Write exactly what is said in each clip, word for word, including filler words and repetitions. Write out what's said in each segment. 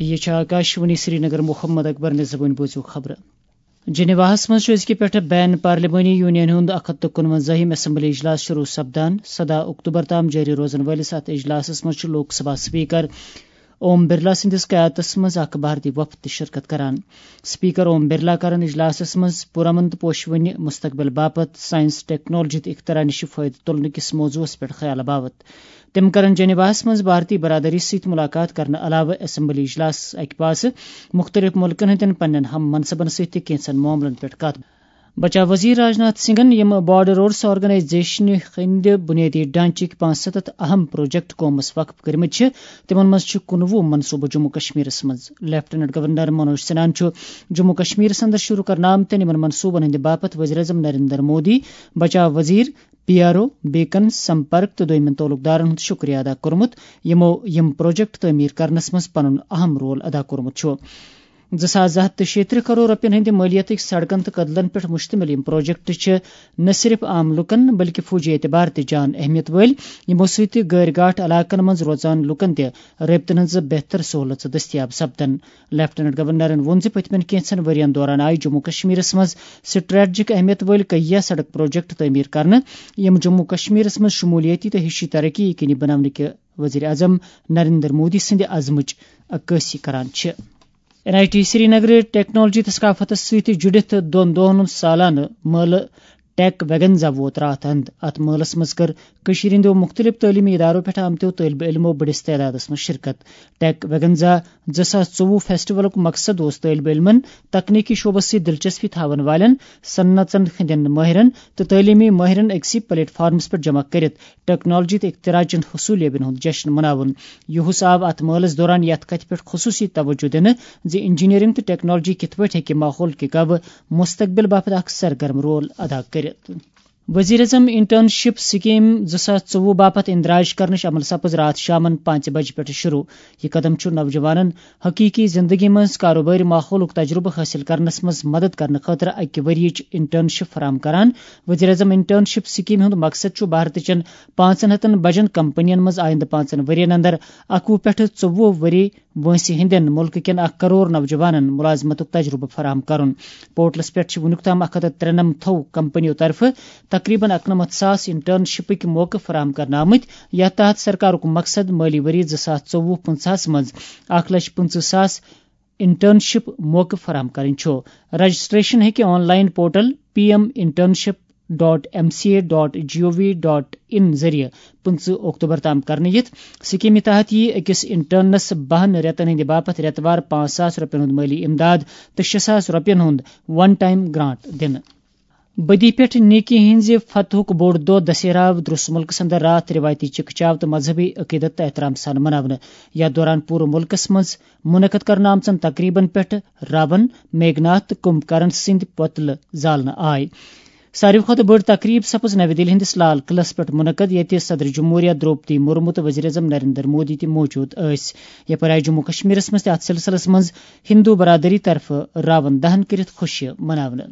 یہ چھِ آکاشوانی سرینگر۔ محمد اکبر نِزوٕنۍ بوٗزِو خبرٕ۔ جنیواہس منٛز چھُ أزکہِ پٮ۪ٹھٕ بین پارلیمانی یونین ہُنٛد اکھ ہتھ تہٕ کُنوَنزٲہِم اسمبلی اجلاس شروع سپدان۔ سداہ اکتوبر تام جٲری روزن وٲلِس اتھ اجلاسس منٛز چھُ لوک سبھا سپیکر اوم برلا سٕنٛدِس قیادتس منٛز اکھ بھارتی وفد تہِ شرکت کران۔ سپیکر اوم برلا کرن اجلاسس منٛز پرامن تہٕ پوشوٕنہِ مستقبل باپتھ سائنس، ٹیکنالوجی تہٕ اختراع نِش فٲیدٕ تُلنہٕ کِس موضوعس پٮ۪ٹھ خیال باوت۔ تِم کرن جنیواہس منٛز بھارتی برادری سۭتۍ ملاقات کرنہٕ علاوٕ اسمبلی اجلاسس اکہِ پاسہٕ مُختٔلِف مُلکن ہٕنٛدٮ۪ن پننٮ۪ن ہم منصبن سۭتۍ تہِ کینٛژن معاملن پٮ۪ٹھ کتھ۔ بچاو وزیر راجناتھ سنگھن، یِم بارڈر روڈس آرگنائزیشنہِ ہٕنٛدِ بنیٲدی ڈھانچٕکۍ پانٛژھ ستتھ اہم پروجیکٹ قومس وقف کٔرمٕتۍ چھِ، تِمن منٛز چھِ کُنوُہ منصوبہٕ جموں کشمیرس منٛز۔ لیفٹیننٹ گورنر منوج سنہاہن چھُ جموں کشمیرس اندر شروع کرنہٕ آمتٮ۪ن یِمن منصوبن ہٕنٛدِ باپتھ وزیر اعظم نریندر مودی، بچاو وزیر، P R O, beacon, Sampark تہٕ دویمٮ۪ن تعلق دارن ہُنٛد شکریہ ادا کوٚرمُت، یِمو یِم پروجیکٹ تعمیٖر کرنس منٛز پنُن اہم رول ادا کوٚرمُت چھُ۔ زٕ ساس زٕ ہتھ تہٕ شیٚیہِ ترٕٛہ کرور رۄپین ہٕنٛدِ مٲلیتٕکۍ سڑکن تہٕ کدلن پٮ۪ٹھ مشتمل یِم پروجیکٹ چھِ نہ صرف عام لوٗکن بلکہِ فوجی اعتبار تہِ جان اہمیت وٲلۍ، یِمو سۭتۍ غٲر گاٹھ علاقن منٛز روزان لوٗکن تہِ رٲبطن ہٕنٛز بہتر سہولژ دٔستیاب سپدن۔ لیفٹیننٹ گورنرن ووٚن زِ پٔتمٮ۪ن کینٛژن ؤرین دوران آیہِ جموں کشمیرس منٛز سٹریٹجک اہمیت وٲلۍ کیہ سڑک پروجیکٹ تعمیٖر کرنہٕ، یِم جموں کشمیرس منٛز شمولیتی تہٕ ہِشی ترقی یقینی بناونٕکہِ وزیر اعظم نریندر مودی سٕنٛدِ عزمٕچ عکٲسی کران چھِ۔ N I T Srinagar technology تہٕ ثقافتس سۭتۍ جُڑِتھ دۄن دۄہن ہُنٛد سالانہٕ مٲلہٕ ٹیک ویگنزا ووت راتھ اند۔ اتھ مٲلس منٛز کٔر کٔشیٖرِ ہٕنٛدیو مُختٔلِف تعلیٖمی ادارو پٮ۪ٹھ آمتیو طٲلبہِ علمو بٔڑِس تعدادس منٛز شرکت۔ ٹیک ویگنزا زٕ ساس ژوٚوُہ فیسٹیولُک مقصد اوس طٲلبہِ علمن، تکنیکی شعبس سۭتۍ دلچسپی تھاون والٮ۪ن صنعژن ہٕنٛدٮ۪ن مٲہرن تہٕ تعلیٖمی مٲہرن أکسٕے پلیٹ فارمس پٮ۪ٹھ جمع کٔرِتھ ٹیکنالوجی تہٕ اختراع چن حصولیابین ہُنٛد جشن مناوُن۔ یُہُس آو اتھ مٲلس دوران یتھ کتھِ پٮ۪ٹھ خصوصی توجہ دِنہٕ زِ انجینئرنگ تہٕ ٹیکنالوجی کِتھ پٲٹھۍ ہیٚکہِ ماحول کہِ گوٚو مستقبل باپتھ اکھ سرگرم رول ادا کٔرِتھ۔ وزیر اعظم انٹرنشپ سکیم زٕ ساس ژوٚوُہ باپتھ اندراج کرنٕچ عمل سپٕز راتھ شامن پانٛژِ بجہِ پٮ۪ٹھ شروع۔ یہِ قدم چھُ نوجوانن حقیقی زندگی منٛز کاروبٲری ماحولُک تجربہٕ حٲصِل کرنس منٛز مدد کرنہٕ خٲطرٕ اکہِ ؤرۍ یٕچ انٹرنشپ فراہم کران۔ وزیر اعظم انٹرنشپ سکیمہِ ہُنٛد مقصد چھُ بھارتٕچن پانٛژن ہتن بجن کمپنین منٛز آیندٕ پانٛژن ؤرین اندر اکوُہ پٮ۪ٹھ ژوٚوُہ ؤری وٲنٛسہِ ہٕنٛدٮ۪ن مُلکہٕ کٮ۪ن اکھ کرور نوجوانن مُلازمتُک تجرُبہٕ فراہم کرُن۔ پورٹلس پٮ۪ٹھ چھِ وُنیُک تام اکھ ہتھ تہٕ ترٛنمتھو کمپنیو طرفہٕ تقریباً اَکنَمَتھ ساس انٹرنشپٕکۍ موقعہٕ فراہم کرنہٕ آمٕتۍ، یتھ تحت سرکارُک مقصد مٲلی ؤری زٕ ساس ژوٚوُہ پٕنٛژٕہس منٛز اکھ لچھ پٕنٛژٕہ ساس انٹرنشپ موقعہٕ فراہم کرٕنۍ چھُ۔ رجسٹریشن ہیٚکہِ online portal P M internship dot M C A dot G O V dot in ذٔریعہٕ پٕنٛژٕہ اکتوبر تام کرنہٕ یِتھ۔ سکیمہِ تحت یِیہِ أکِس انٹرنس بَہَن رٮ۪تن ہٕنٛدِ باپتھ رٮ۪تہٕ وار پانٛژھ ساس رۄپین ہُنٛد مٲلی امداد تہٕ شےٚ ساس رۄپین ہُنٛد ون ٹائم گرانٹ دِنہٕ۔ بدی پٮ۪ٹھ نیکی ہٕنٛزِ فتحُک بوٚڑ دۄہ دسہرہ آو درٛوس مُلکس اندر راتھ رِوایتی چکہ چاو تہٕ مذہبی عقیدت تہٕ احترام سان مناونہٕ۔ یتھ دوران پوٗرٕ مُلکس منٛز منعقد کرنہٕ آمژن تقریبن پٮ۪ٹھ راون، میگھناتھ تہٕ کمبھ کرن سٕنٛدۍ پۄتلہٕ زالنہٕ آے۔ ساروی کھۄتہٕ بٔڑ تقریب سپٕز نَوِ دِلہِ ہٕنٛدِس لال قلعس پٮ۪ٹھ منعقد، ییٚتہِ صدر جمہوریہ درٛوپدی مرمو تہٕ وزیر اعظم نریندر مودی تہِ موجود ٲسۍ۔ یپٲرۍ آیہِ جموں کشمیرس منٛز تہِ اتھ سلسلس منٛز ہندو برادری طرفہٕ راون دہن کٔرِتھ خوشی مناونہٕ۔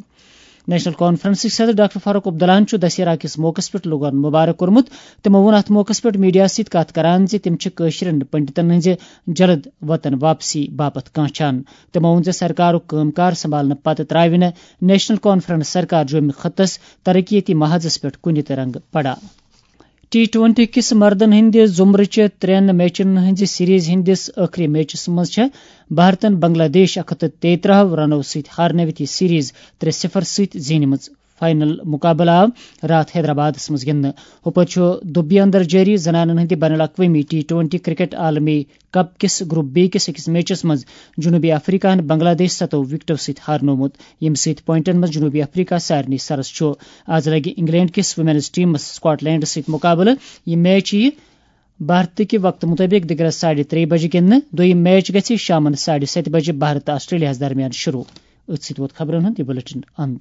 نیشنل کانفرنسٕکۍ صدر ڈاکٹر فاروق عبداللہن چھُ دسہرہ کِس موقعس پٮ۪ٹھ لوٗکن مبارک کوٚرمُت۔ تِمو ووٚن اتھ موقعس پٮ۪ٹھ میڈیاہس سۭتۍ کتھ کران زِ تِم چھِ کٲشرٮ۪ن پنڈتن ہٕنٛزِ جلد وطن واپسی باپتھ کانچھان۔ تِمو ووٚن زِ سرکارُک کٲم کار سنبھالنہٕ پتہٕ ترٛاوِ نہٕ نیشنل کانفرنس سرکار جوٚمہِ خطس ترقیتی محاذس پٮ۪ٹھ کُنہِ تہِ رنگہٕ پڑا۔ ٹی ٹوئنٹی کِس مردن ہٕنٛدِ زمرٕچہِ ترٛٮ۪ن میچن ہٕنٛزِ سیریز ہٕنٛدِس ٲخری میچس منٛز چھےٚ بھارتن بنگلہ دیش اکھ ہتھ تہٕ تیٚیہِ ترٕٛہ رنو سۭتۍ ہارنٲوِتھ یہِ سیریز ترٛےٚ صفر سۭتۍ زینِمٕژ۔ فائنل مقابلہٕ آو راتھ حیدرآبادس منٛز گِنٛدنہٕ۔ ہُپٲرۍ چھُ دُبیہِ اندر جٲری زنانن ہٕنٛدِ بین الاقوٲمی ٹی ٹوئنٹی کرکٹ عالمی کپ کِس گروپ بی کِس أکِس میچس منٛز جنوبی افریقہ ہن بنگلہ دیش ستو وکٹو سۭتۍ ہارنوومُت، ییٚمہِ سۭتۍ پوائنٹن منٛز جنوبی افریقہ سارنٕے سرس چھُ۔ آز لگہِ انگلینڈ کِس ویمنز ٹیمس سکاٹ لینڈس سۭتۍ مقابلہٕ۔ یہِ میچ یِیہِ بھارتٕکہِ وقتہٕ مُطٲبِق دِگرس ساڑِ ترٛیٚیہِ بجہِ گِنٛدنہٕ۔ دوٚیِم میچ گژھِ شامن ساڑِ ستہِ بجہِ بھارت تہٕ آسٹریلیاہس درمیان شروع۔ أتھۍ سۭتۍ ووت خبرن ہُنٛد یہِ بلیٹن اند۔